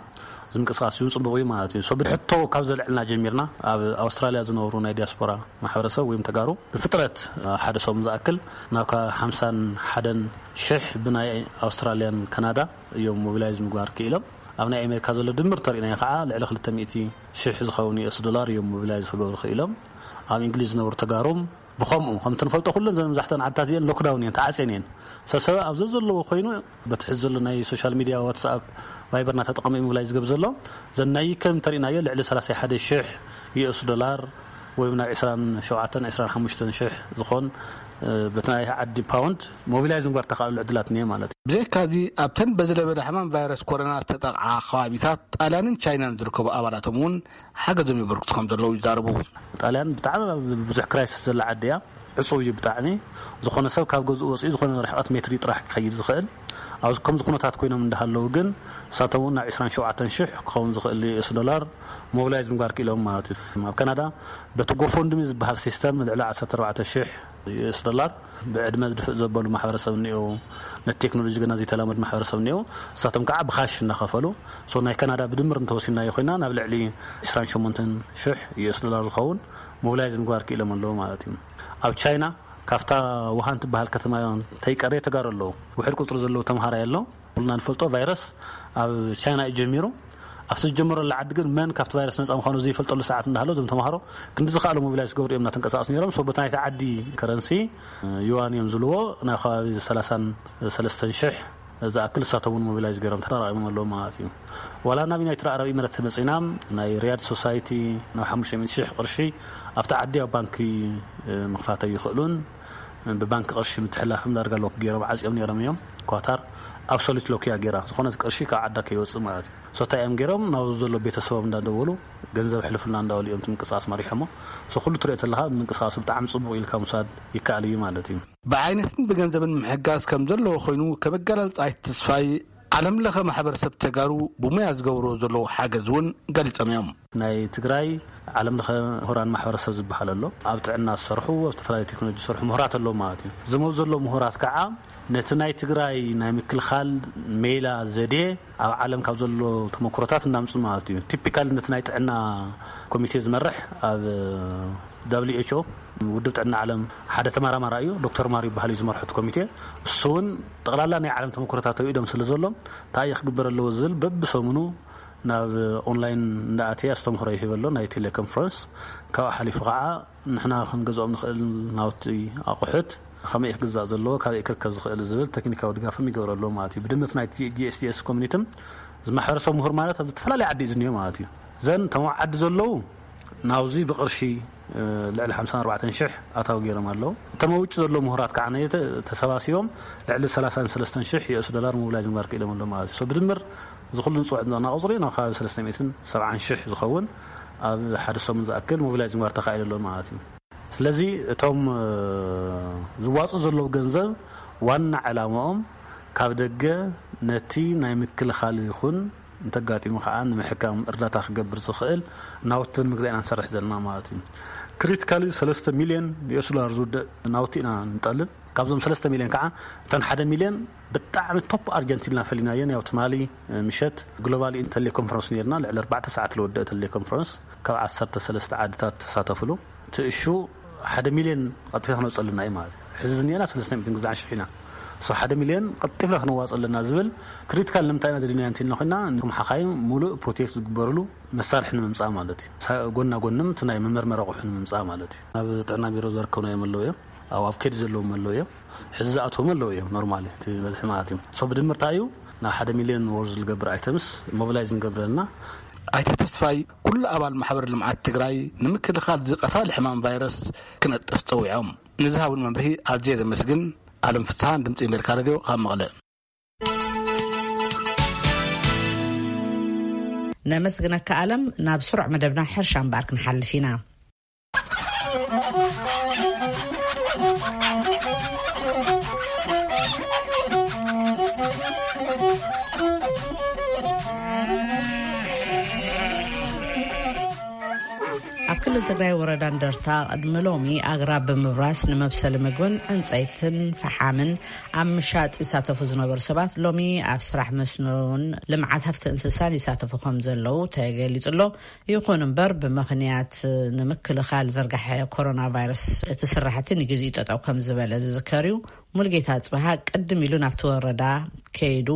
እዚ ምንቅስቃስ እውን ፅቡቅ እዩ ማለት እዩ። ሶ ብሕቶ ካብ ዘልዕልና ጀሚርና ኣብ ኣውስትራልያ ዝነብሩ ናይ ዲያስፖራ ማሕበረሰብ ወይም ተጋሩ ብፍጥረት ሓደ ሰሙን ዝኣክል ናብ ካብ ሓምሳን ሓደን ሽሕ ብናይ ኣውስትራልያን ካናዳ እዮም ሞቢላይዝ ምግባር ክኢሎም። ኣብ ናይ ኣሜሪካ ዘሎ ድምር ተሪእናዮ ከዓ ልዕሊ ክልተ ሚእቲ ሽሕ ዝኸውን ዩኤስ ዶላር እዮም ሞቢላይዝ ክገብሩ ክኢሎም። ኣብ እንግሊዝ ዝነብሩ ተጋሩም ብኸምኡ ከምቲ ንፈልጦ ኩለን ዘን መብዛሕተን ዓድታት እዚአን ሎክዳውን እየን ተዓፅየን እየን። ሰሰበ ኣብ ዘዘለዎ ኮይኑ በቲ ሕዚ ዘሎ ናይ ሶሻል ሚድያ ዋትስኣፕ ቫይበርና ተጠቐሙ እዩ ምብላይ ዝገብ ዘሎ። ዘናይ ከም ተሪእናዮ ልዕሊ ሰላሳ ሓደ ሽሕ ዩኤስ ዶላር ወይ ናብ ዕስራን ሸውዓተን ዕስራን ሓሙሽተን ሽሕ ዝኾን በቲ ናይ ዓዲ ፓውንድ ሞቢላይዝ ምግባር ተኻእሉ ዕድላት እኒአ ማለት እዩ። ብዘይካዚ ኣብተን በዚ ለበዳ ሕማም ቫይረስ ኮሮና ዝተጠቕዓ ከባቢታት ጣልያንን ቻይናን ዝርከቡ ኣባላቶም እውን ሓገዞም የበርክቱ ከም ዘለዉ ይዛረቡ። ጣልያን ብጣዕሚ ኣብ ብዙሕ ክራይሲስ ዘላ ዓዲ እያ። ዕፁው እዩ ብጣዕሚ። ዝኾነ ሰብ ካብ ገዝኡ ወፂኡ ዝኾነ ርሕቐት ሜትሪ ጥራሕ ክኸይድ ዝኽእል። ኣብዚ ከምዚ ኩነታት ኮይኖም እንዳሃለዉ ግን ንሳቶም እውን ናብ ዕስራን ሸውዓተን ሽሕ ክኸውን ዝኽእል ዩኤስ ዶላር ሞቢላይዝ ምግባር ክኢሎም ማለት እዩ። ኣብ ካናዳ በቲ ጎፎንድሚ ዝበሃል ሲስተም ልዕሊ ዓሰርተ ኣርባዕተ ሽሕ ዩኤስ ዶላር ብዕድመ ዝድፍእ ዘበሉ ማሕበረሰብ እኒኦ፣ ነቲ ቴክኖሎጂ ገና ዘይተላመድ ማሕበረሰብ እኒኦ። ንሳቶም ከዓ ብካሽ እናኸፈሉ ሶ ናይ ካናዳ ብድምር እንተወሲናዮ ኮይና ናብ ልዕሊ ዕስራን ሸሞንተን ሽሕ ዩኤስ ዶላር ዝኸውን ሞቢላይዝ ምግባር ክኢሎም ኣለዉ ማለት እዩ። ኣብ ቻይና ካብታ ውሃን ትበሃል ከተማ ተይቀረየ ተጋሩ ኣለዉ። ውሕድ ቁፅሪ ዘለዉ ተምሃራይ ኣሎ። ኩልና ንፈልጦ ቫይረስ ኣብ ቻይና እዩ ጀሚሩ። ኣብቲ ዝጀመረሉ ዓዲ ግን መን ካብቲ ቫይረስ ነፃ ምዃኑ ዘይፈልጠሉ ሰዓት እንዳሃሎ እዞም ተምሃሮ ክንዲ ዝኸኣሉ ሞቢላይዝ ክገብሩ እዮም እናተንቀሳቐሱ ነይሮም። ሶ በታ ናይቲ ዓዲ ከረንሲ ዩዋን እዮም ዝብልዎ፣ ናብ ከባቢ ሰላሳን ሰለስተን ሽሕ ዝኣክል ንሳቶም እውን ሞቢላይዝ ገይሮም ተጠራቒሞም ኣለዉ ማለት እዩ። ዋላ ናብ ዩናይትድ ዓረብ ኢሚረት ተመፂና ናይ ሪያድ ሶሳይቲ ናብ ሓሙሽተ ሚእቲ ሽሕ ቅርሺ ኣብቲ ዓዲ ኣብ ባንኪ ምኽፋት ኣይኽእሉን። ብባንክ ቅርሺ ምትሕላፍም ዳርጋ ሎክ ገይሮም ዓፅዮም ነይሮም እዮም። ኳታር ኣብሶሉት ሎክ እያ ገይራ፣ ዝኾነ ቅርሺ ካብ ዓዳ ከይወፅእ ማለት እዩ። ሶ እንታይ እዮም ገይሮም ናብ ዘሎ ቤተሰቦም እንዳደወሉ ገንዘብ ሕልፍና እንዳበሉ እዮም እቲ ምንቅስቃስ መሪሖሞ። ሶ ኩሉ ትሪኦ ተለካ ምንቅስቃሱ ብጣዕሚ ፅቡቅ ኢልካ ምውሳድ ይከኣል እዩ ማለት እዩ። ብዓይነትን ብገንዘብን ምሕጋዝ ከም ዘለዎ ኮይኑ ከም ኣገላልፃ ኣይተ ተስፋይ ዓለም ለኸ ማሕበረሰብ ተጋሩ ብሞያ ዝገብርዎ ዘለዉ ሓገዝ እውን ገሊፆም እዮም። ናይ ትግራይ ዓለም ለኸ ምሁራን ማሕበረሰብ ዝበሃል ኣሎ። ኣብ ጥዕና ዝሰርሑ፣ ኣብ ዝተፈላለዩ ቴክኖሎጂ ዝሰርሑ ምሁራት ኣለዉ ማለት እዩ። ዝመፁ ዘለዉ ምሁራት ከዓ ነቲ ናይ ትግራይ ናይ ምክልኻል ሜላ፣ ዘዴ፣ ኣብ ዓለም ካብ ዘሎ ተመክሮታት እናምፁ ማለት እዩ። ቲፒካል ነቲ ናይ ጥዕና ኮሚቴ ዝመርሕ ኣብ ደብሊው ኤች ኦ፣ ውድብ ጥዕና ዓለም፣ ሓደ ተመራማሪ እዩ፣ ዶክተር ማር ይበሃል እዩ ዝመርሖ እቲ ኮሚቴ። እሱ እውን ጠቕላላ ናይ ዓለም ተመክሮታት ተውኢዶም ስለ ዘሎ እንታይ ክግበር ኣለዎ ዝብል በብሰሙኑ ናብ ኦንላይን እንዳኣተየ ኣስተምህሮ ይህበ ኣሎ፣ ናይ ቴሌኮንፈረንስ። ካብኡ ሓሊፉ ከዓ ንሕና ክንገዝኦም ንኽእል ናውቲ ኣቑሑት ከመይ ክግዛእ ዘለዎ፣ ካበይ ክርከብ ዝኽእል ዝብል ቴክኒካዊ ድጋፍም ይገብረሉ ማለት እዩ። ብድምር ናይቲ ጂኤስቲኤስ ኮሚኒቲም እዚ ማሕበረሰብ ምሁር ማለት ኣብ ዝተፈላለየ ዓዲ እዩ ዝኒኦ ማለት እዩ። ዘን ተመዓዲ ዘለዉ ናብዚ ብቕርሺ ልዕሊ ሓምሳን ኣርባዕተን ሽሕ ኣታዊ ገይሮም ኣለዉ። እቶም ኣብ ውጭ ዘለዉ ምሁራት ከዓ ተሰባሲቦም ልዕሊ ሰላሳን ሰለስተን ሽሕ ዩኤስ ዶላር ሞቢላይዝ ምግባር ክኢሎም ኣለዉ ማለት እዩ። ብድምር እዚ ኩሉ ንፅውዕ ዘለና ቁፅሪ ናብ ከባቢ ሰለስተ ሚእትን ሰብዓን ሽሕ ዝኸውን ኣብ ሓደ ሰሙን ዝኣክል ሞቢላይዝ ምግባር ተኻኢሉ ኣሎ ማለት እዩ። ስለዚ እቶም ዝዋፁ ዘለዉ ገንዘብ ዋና ዕላማኦም ካብ ደገ ነቲ ናይ ምክልኻል ይኹን እንተጋጢሙ ከዓ ንምሕካም እርዳታ ክገብር ዝኽእል ናውትን ምግዛእ ኢና ንሰርሕ ዘለና ማለት እዩ። ክሪቲካሊ ሰለስተ ሚልዮን ዩኤስ ዶላር ዝውድእ ናውቲ ኢና ንጠልብ። ካብዞም ሰለስተ ሚልዮን ከዓ እተን ሓደ ሚልዮን ብጣዕሚ ቶፕ ኣርጀንት ኢልና ፈሊናየን። ያው ትማሊ ምሸት ግሎባል ቴሌኮንፈረንስ ነርና፣ ልዕሊ ኣርባዕተ ሰዓት ዝወደአ ቴሌኮንፈረንስ፣ ካብ ዓሰርተ ሰለስተ ዓድታት ተሳተፍሉ። እቲ እሹ ሓደ ሚልዮን ቀልጢፍና ክነውፀለና እዩ ማለት እዩ። ሕዚ ዝኒአና ሰለስተ ሚእትን ግዛዕ ሽሕ ኢና። ሶ ሓደ ሚልዮን ቀልጢፍና ክነዋፀለና ዝብል ክሪቲካል ንምንታይ ኢና ዘድልዩና እንተልና ኮይና፣ ንኩም ሓኻይም ሙሉእ ፕሮቴክት ዝግበርሉ መሳርሒ ንምምፃእ ማለት እዩ። ጎና ጎንም እቲ ናይ መመርመሪ ኣቑሑ ንምምፃእ ማለት እዩ። ኣብ ጥዕና ቢሮ ዘርከብናዮም ኣለዉ እዮም። ኣብ ኣፍኬድ ዘለዎም ኣለዉ እዮም። ሕዚ ዝኣትዎም ኣለዉ እዮም። ኖርማሊ እቲ በዝሒ ማለት እዩ። ሶ ብድምርታ እዩ ናብ ሓደ ሚልዮን ወርዝ ዝገብር ኣይተምስ ሞቢላይዝ ንገብረልና። ኣይተ ተስፋይ ኩሉ ኣባል ማሕበር ልምዓት ትግራይ ንምክልኻል ዝቀታል ሕማም ቫይረስ ክነጥፍ ፀዊዖም ንዝሃቡን መምርሂ ኣዝየ ዘመስግን። ኣለም ፍስሃን ድምፂ ኣሜሪካ ሬድዮ ካብ መቐለ። ነመስግነካ ኣለም። ናብ ስሩዕ መደብና ሕርሻ እምበኣር ክንሓልፍ ኢና። ኣብ ክልል ትግራይ ወረዳ እንደርታ ቅድሚ ሎሚ ኣግራብ ብምብራስ ንመብሰሊ ምግብን ዕንፀይትን ፈሓምን ኣብ ምሻጥ ይሳተፉ ዝነበሩ ሰባት ሎሚ ኣብ ስራሕ መስኖን ልምዓት ሃፍቲ እንስሳን ይሳተፉ ከም ዘለዉ ተገሊፁ ኣሎ። ይኹን እምበር ብምኽንያት ንምክልኻል ዝርጋሐ ኮሮና ቫይረስ እቲ ስራሕቲ ንግዜኡ ጠጠው ከም ዝበለ ዝዝከር እዩ። ሙልጌታ ኣጽብሃ ቅድም ኢሉ ናብቲ ወረዳ ከይዱ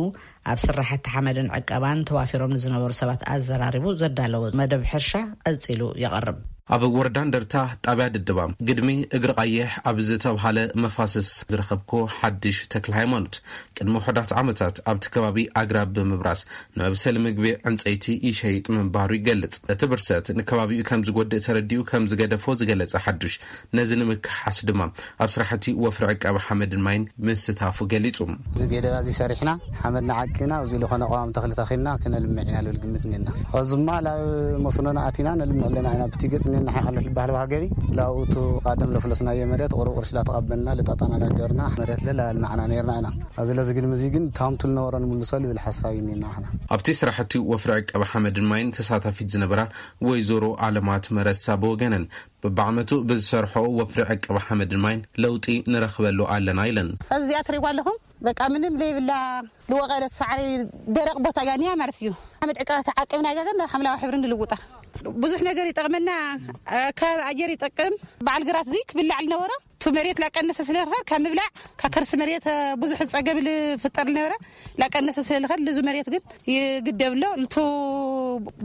ኣብ ስራሕቲ ሓመድን ዕቀባን ተዋፊሮም ንዝነበሩ ሰባት ኣዘራሪቡ ዘዳለዎ መደብ ሕርሻ ቀጺሉ ይቐርብ። ኣብ ወረዳ እንደርታ ጣብያ ድድባ ግድሚ እግሪ ቀይሕ ኣብ ዝተብሃለ መፋስስ ዝረኸብኩ ሓድሽ ተክለ ሃይማኖት ቅድሚ ውሑዳት ዓመታት ኣብቲ ከባቢ ኣግራብ ብምብራስ ንመብሰሊ ምግቢ ዕንፀይቲ ይሸይጥ ምንባሩ ይገልጽ። እቲ ብርሰት ንከባቢኡ ከም ዝጎድእ ተረዲኡ ከም ዝገደፎ ዝገለጸ ሓዱሽ፣ ነዚ ንምክሓስ ድማ ኣብ ስራሕቲ ወፍሪ ዕቀባ ሓመድን ማይን ምስታፉ ገሊጹ። እዚ ገደባ እዚ ሰሪሕና፣ ሓመድና ዓቂብና፣ ኣብዚ ዝኾነ ቀዋሚ ተኽሊ ተኺልና ክነልምዕ ኢና ልብል ግምት እኒና። ሕዚ ድማ ናብ መስኖና ኣቲና ነልምዕ ኣለና ኢና። ብቲ ገጽ እኒና ሓይ ዓለት ዝበሃል ዋሃ ገቢ፣ ላብኡቱ ቃደም ለፍለስናዮ መሬት፣ ቁሩብ ቅርሺ ላተቐበልና፣ ልጣጣና ዳገርና፣ መሬት ለላልማዕና ነርና ኢና። እዚ ለዚ ግድሚ እዚ ግን ታምቱ ልነበሮ ንምልሶ ልብል ሓሳብ እኒና ሓና። ኣብቲ ስራሕቲ ወፍሪ ዕቀባ ሓመድን ማይን ተሳታፊት ዝነበራ ወይዘሮ ኣለማት መረሳ ብወገነን፣ በብዓመቱ ብዝሰርሖ ወፍሪ ዕቀባ ሓመድን ማይን ለውጢ ንረኽበሉ ኣለና ኢለን። እዚኣ ትሪእዋ ኣለኹም፣ በቃ ምንም ለይብላ ልወቐለት ሳዕሪ ደረቕ ቦታ እያ እኒኣ ማለት እዩ። ሓመድ ዕቀባ ተዓቂብና እያ ግን ናብ ሓምላዊ ሕብሪ ንልውጣ። ብዙሕ ነገር ይጠቕመና፣ ካብ ኣየር ይጠቅም። በዓል ግራት እዚ ክብላዕ ዝነበሮ እቲ መሬት ላቀነሰ ስለ ዝኸር ካብ ምብላዕ ካብ ከርሲ መሬት ብዙሕ ጸገም ልፍጠር ዝነበረ ላቀነሰ ስለ ዝኸር ልዙ መሬት ግን ይግደብ ኣሎ። ልቱ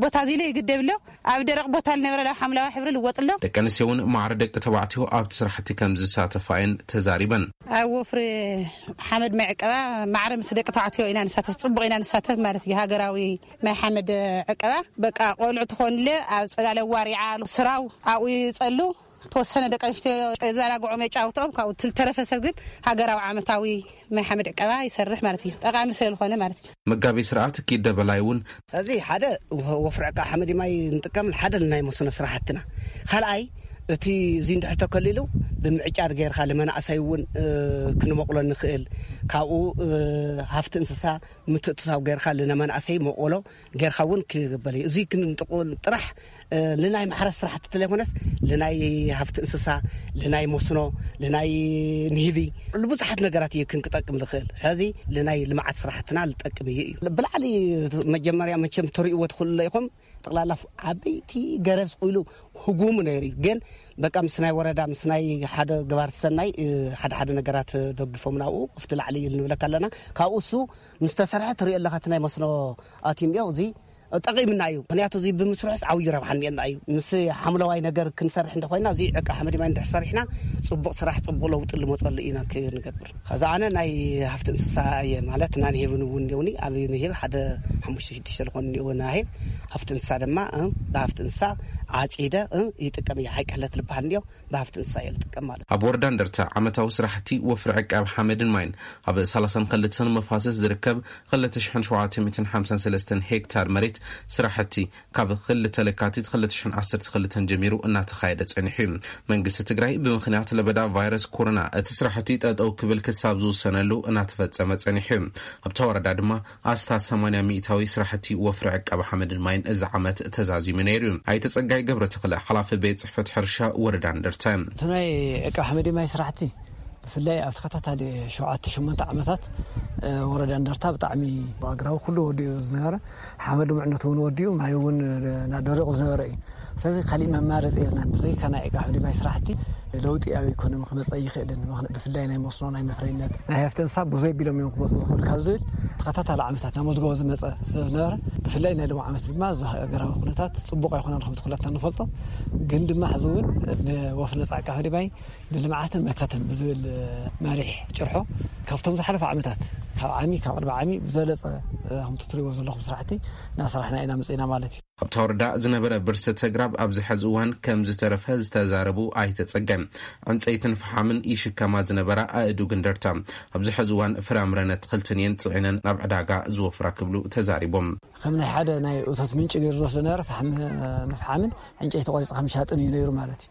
ቦታ እዚ ኢለ ይግደብ ኣሎ። ኣብ ደረቕ ቦታ ዝነበረ ናብ ሓምላዊ ሕብሪ ልወጥ ኣሎ። ደቂ ኣንስትዮ እውን ማዕረ ደቂ ተባዕትዮ ኣብቲ ስራሕቲ ከም ዝሳተፋ እየን ተዛሪበን። ኣብ ወፍሪ ሓመድ ማይ ዕቀባ ማዕረ ምስ ደቂ ተባዕትዮ ኢና ንሳተፍ፣ ጽቡቕ ኢና ንሳተፍ ማለት እዩ። ሃገራዊ ናይ ሓመድ ዕቀባ በቃ ቆልዑ ትኾንለ ኣብ ጽላለ ዋሪዓ ስራው ኣብኡ ይጸሉ። ተወሰነ ደቂ ኣንስትዮ የዘናግዖም የጫውትኦም፣ ካብኡ ትል-፣ ተረፈ ሰብ ግን ሃገራዊ ዓመታዊ ናይ ሓመድ ዕቀባ ይሰርሕ ማለት እዩ። ጠቓሚ ስለ ዝኾነ ማለት እዩ። መጋቤ ስርዓት ኪደ በላይ እውን እዚ ሓደ ወ-፣ ወፍሪ ዕቃ ሓመድ ማይ ንጥቀም፣ ሓደ ናይ መስኖ ስራሕትና። ካልኣይ እቲ እዚ እንድሕር ተከሊሉ ብምዕጫድ ጌርካ ንመናእሰይ እውን፣ እ፣ ክንመቕሎ ንኽእል። ካብኡ፣ እ፣ ሃፍቲ እንስሳ ምትእትታው ጌርካ ንመናእሰይ መቕሎ ጌርካ እውን ክግበር እዩ። እዚ ክንጥቁን ጥራሕ ንናይ ማሕረስ ስራሕቲ ተለይኮነስ፣ ንናይ ሃፍቲ እንስሳ፣ ንናይ መስኖ፣ ንናይ ንህቢ፣ ንብዙሓት ነገራት እዩ ክንክጠቅም ዝኽእል። ሕዚ ንናይ ልምዓት ስራሕትና ዝጠቅም እዩ እዩ። ብላዕሊ መጀመርያ መቸም ተርእይዎ ትኽእሉ ኢኹም። ጠቕላላ ዓበይቲ ገረብ ስቕ ኢሉ ህጉሙ ነይሩ እዩ። ግን በቃ ምስ ናይ ወረዳ፣ ምስ ናይ ሓደ ገባርቲ ሰናይ፣ ሓደ ሓደ ነገራት ደጊፎም ናብኡ ኣብቲ ላዕሊ እዩ ንብለካ ኣለና። ካብኡ እሱ ምስ ተሰርሐ ትሪኦ ኣለኻ፣ እቲ ናይ መስኖ ኣትዩ እኒኦ፣ እዚ ጠቒምና እዩ። ምኽንያቱ እዚ ብምስርሑስ ዓብዪ ረብሓ እኒኤና እዩ። ምስ ሓምለዋይ ነገር ክንሰርሕ እንተኾይና፣ እዚ ዕቃ ሓመድ ማይ እንድሕር ሰሪሕና፣ ጽቡቕ ስራሕ፣ ጽቡቕ ለውጢ ልመጸሉ ኢና ክንገብር። ከዛ ኣነ ናይ ሃፍቲ እንስሳ እየ፣ ማለት ናይ ንህብን እውን እኒኦኒ። ኣብ ንህብ ሓደ ሓሙሽተ ሽዱሽተ ዝኾኑ እኒኦ ናህብ። ሃፍቲ እንስሳ ድማ፣ እ፣ ብሃፍቲ እንስሳ ዓጺደ፣ እ፣ ይጥቀም እየ። ሓይቀለት ልበሃል እንዲዮ፣ ብሃፍቲ እንስሳ እየ ልጥቀም ማለት። ኣብ ወረዳ እንደርታ ዓመታዊ ስራሕቲ ወፍሪ ዕቃብ ሓመድን ማይን ኣብ ሰላሳን ክልተን መፋሰስ ዝርከብ ክልተ ሽሕን ሸውዓተ ሚእትን ሓምሳን ሰለስተን ሄክታር መሬት ስራሕቲ ካብ ክልተ ለካቲት ክልተ ሽሕን ዓሰርተ ክልተን ጀሚሩ እናተኻየደ ጸኒሑ እዩ። መንግስቲ ትግራይ ብምኽንያት ለበዳ ቫይረስ ኮሮና እቲ ስራሕቲ ጠጠው ክብል ክሳብ ዝውሰነሉ እናተፈጸመ ጸኒሑ እዩ። ኣብታ ወረዳ ድማ ኣስታት ሰማንያ ሚእታዊ ስራሕቲ ወፍሪ ዕቃብ ሓመድን ማይን እዚ ዓመት ተዛዚሙ ነይሩ እዩ። ኣይተ ጸጋይ ገብረ ተኽለ፣ ሓላፊ ቤት ጽሕፈት ሕርሻ ወረዳ እንደርታ እዮም። እቲ ናይ ዕቃብ ሓመድ ማይ ስራሕቲ ብፍላይ ኣብ ተኸታታሊ ሸውዓተ ሸሞንተ ዓመታት፣ እ፣ ወረዳ እንደርታ ብጣዕሚ ኣግራቡ ኩሉ ወዲኡ ዝነበረ፣ ሓመድ ምዕነቱ እውን ወዲኡ፣ ማይ እውን፣ እ፣ ደሪቑ ዝነበረ እዩ። ስለዚ ካሊእ መማረፂ የብልናን። ብዘይካ ናይ ዕቃብ ሓመድ ማይ ስራሕቲ ለውጢ ኣብ ኢኮኖሚ ክመፀ ኣይኽእልን። ምኽንያቱ ብፍላይ ናይ መስኖ፣ ናይ መፍረይነት፣ ናይ ሃፍቲ እንስሳ ብዘይ ቢሎም እዮም ክመፁ ዝኽእሉ ካብ ዝብል ተኸታታሊ ዓመታት ናብ መዝገቦ ዝመፀ ስለ ዝነበረ፣ ብፍላይ ናይ ሎም ዓመት ድማ እዚ ሃገራዊ ኩነታት ፅቡቕ ኣይኮነን፣ ከምቲ ኩላትና ንፈልጦ። ግን ድማ ሕዚ እውን ንወፍሪ ነፃ ዕቃብ ሓመድ ማይ ንልምዓትን መከተን ብዝብል መሪሕ ጭርሖ ካብቶም ዝሓለፈ ዓመታት፣ ካብ ዓሚ፣ ካብ ቅድሚ ዓሚ ብዝበለፀ፣ ከምቲ ትሪእዎ ዘለኹም ስራሕቲ እናሰራሕና ኢና መፂና ማለት እዩ። ኣብታ ወረዳ ዝነበረ ብርሰት ኣግራብ ኣብዚ ሕዚ እዋን ከም ዝተረፈ ዝተዛረቡ ኣይተ ጸጋይ፣ ዕንጸይትን ፈሓምን ይሽከማ ዝነበራ ኣእዱግ እንደርታ ኣብዚ ሕዚ እዋን ፍራምረን ኣትክልትን እየን ጽዒነን ናብ ዕዳጋ ዝወፍራ ክብሉ ተዛሪቦም። ከም ናይ ሓደ ናይ እቶት ምንጪ ገይሩ ዝወስዶ ነበረ፣ ፈሓም፣ ንፈሓምን ዕንጨይቲ ቆሪጽካ ምሻጥን እዩ ነይሩ ማለት እዩ።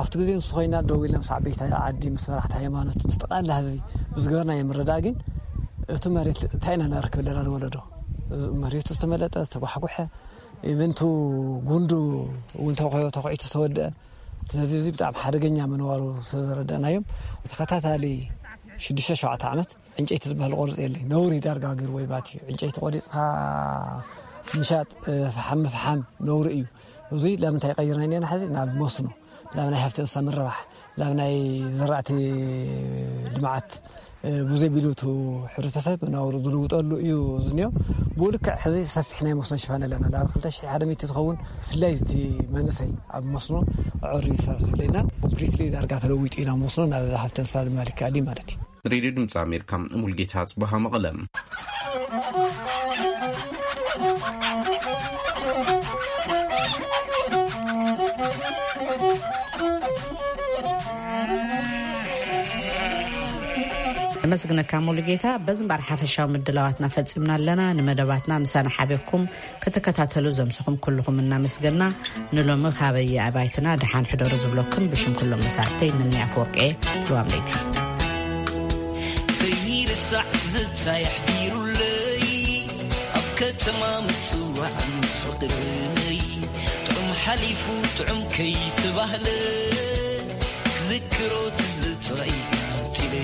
ኣብቲ ግዜ ንሱ ኮይና ደው ኢልና ምስ ዓበይቲ ዓዲ፣ ምስ መራሕቲ ሃይማኖት፣ ምስ ጠቕላላ ህዝቢ ብዝገበርናዮ ምርዳእ ግን እቲ መሬት እንታይ ኢና ነረክብ ኣለና ንወለዶ? መሬቱ ዝተመለጠ፣ ዝተጓሕጉሐ፣ ኢቨንቱ ጉንዱ እውን ተኾ-፣ ተኾዒቱ ዝተወደአ። ስለዚ እዚ ብጣዕሚ ሓደገኛ ምንባሩ ስለ ዘረዳእናዮም፣ ተኸታታሊ ሽዱሽተ ሸውዓተ ዓመት ዕንጨይቲ ዝበሃል ቆርጽ የለይ። ነውሪ ዳርጋ ገይርዎ እዩ ማለት እዩ። ዕንጨይቲ ቆሪጽካ ምሻጥ፣ እ፣ ፈሓም ምፍሓም ነውሪ እዩ። እዚ ላብ እንታይ ቀይርና ኢና ሕዚ? ናብ መስኖ፣ ላብ ናይ ሃፍቲ እንስሳ ምርባሕ፣ ላብ ናይ ዘራእቲ ልምዓት፣ እ፣ ብዘይ ቢሉ እቲ ሕብረተሰብ ናብሩ ዝልውጠሉ እዩ ዝኒኦ። ብኡ ልክዕ ሕዚ ሰፊሕ ናይ መስኖ ሽፋን ኣለና። ላብ ክልተ ሽሕ ሓደ ሚእቲ ዝኸውን ብፍላይ እቲ መንእሰይ ኣብ መስኖ ኣዕሪ ዝሰርሕ ስለና ኮምፕሊትሊ ዳርጋ ተለዊጡ ኢና መስኖ ናብ ሃፍቲ እንስሳ ድማ ልክኣሊ ማለት እዩ። ሬድዮ ድምፂ ኣሜሪካ፣ ሙልጌታ ጽበሃ፣ መቐለ። ነመስግነካ ሙሉጌታ። በዚ እምበኣር ሓፈሻዊ ምድላዋትና ፈጺምና ኣለና። ንመደባትና ምሳና ሓቢርኩም ክትከታተሉ ዘምሰኹም ኩልኹም እናመስገና፣ ንሎሚ ካበየ ኣባይትና ደሓን ሕደሩ ዝብለኩም ብሽም ኩሎም መሳርሕተይ፣ ምኒ ኣፈወርቂ፣ ልዋም ለይቲ። ዘይርሳዕ ትዝታ የሕዲሩለይ፣ ኣብ ከተማ ምጽዋዕ ምስ ፍቕረይ፣ ጥዑም ሓሊፉ ጥዑም ከይተባህለ፣ ክዝክሮ ትዝታይ ቀጺለ።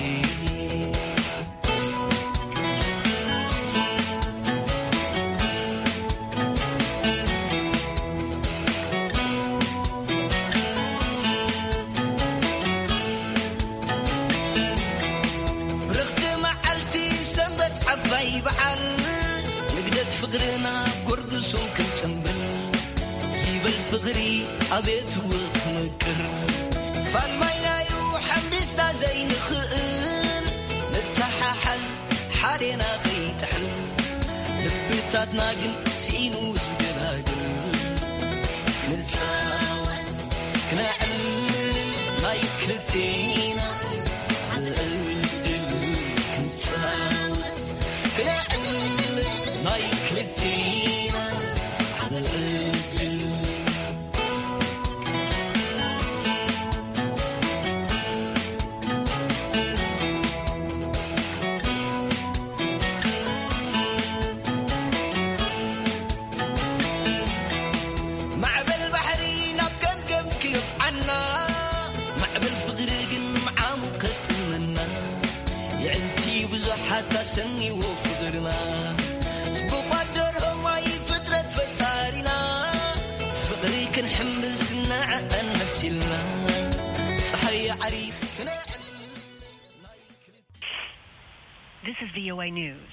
ብርኽቲ መዓልቲ ሰንበት ዓባይ በዓል፣ ንግደት ፍቕርና ጎርግሱ ክንጽምብል፣ ይበል ፍቕሪ ኣቤት ውቕር፣ ፋልማይናዩ ሓምቢስና ዘይንኽእል፣ ንተሓሓዝ ሓዴና ከይጥሕል፣ ልብታትና ግን ስኢኑ ዝገላግል። ንጻወት ክነዕልል ናይ ክልቴና ዕድል፣ ክንጻወት ክነዕልል ናይ ክልቴና ዕድል። ማዕበል ባሕሪ ፍቕርና ጽቡቕ ኣደርሆማይ ፍጥረት ፈጣሪና ፍቕሪ ክንሕምብስ ንዕቐን መሲልና ፀሓይ ዓሪፍ ክነዕል This is V O A News.